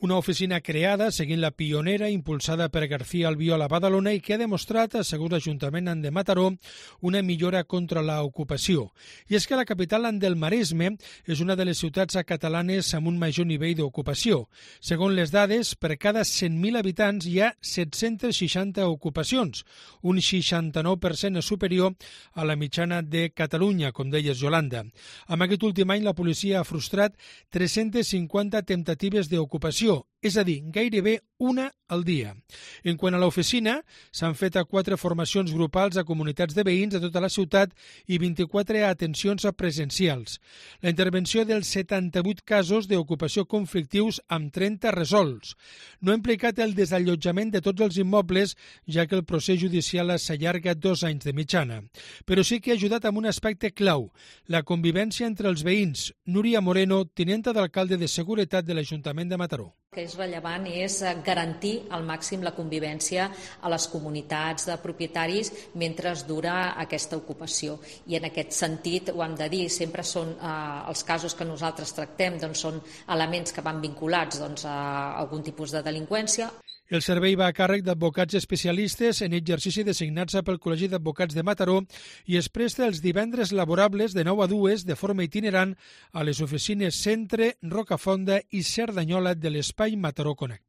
Una oficina creada seguint la pionera impulsada per García Albiol a Badalona i que ha demostrat, segons l'Ajuntament de Mataró, una millora contra l'ocupació. I és que la capital del Maresme és una de les ciutats catalanes amb un major nivell d'ocupació. Segons les dades, per cada 100.000 habitants hi ha 760 ocupacions, un 69% superior a la mitjana de Catalunya, com deies, Yolanda. Amb aquest últim any, la policia ha frustrat 350 temptatives d'ocupació, és a dir, gairebé una al dia. En quant a l'oficina, s'han fet 4 formacions grupals a comunitats de veïns de tota la ciutat i 24 atencions presencials. La intervenció dels 78 casos d'ocupació conflictius amb 30 resolts. No ha implicat el desallotjament de tots els immobles, ja que el procés judicial s'allarga 2 anys de mitjana. Però sí que ha ajudat amb un aspecte clau, la convivència entre els veïns. Núria Moreno, tinenta d'alcalde de Seguretat de l'Ajuntament de Mataró. El que és rellevant és garantir al màxim la convivència a les comunitats de propietaris mentre dura aquesta ocupació. I en aquest sentit, ho hem de dir, sempre són els casos que nosaltres tractem, doncs són elements que van vinculats a algun tipus de delinqüència. El servei va a càrrec d'advocats especialistes en exercici designats pel Col·legi d'Advocats de Mataró i es presta els divendres laborables de 9 a 2 de forma itinerant a les oficines Centre, Rocafonda i Cerdanyola de l'Espai Mataró Connecta.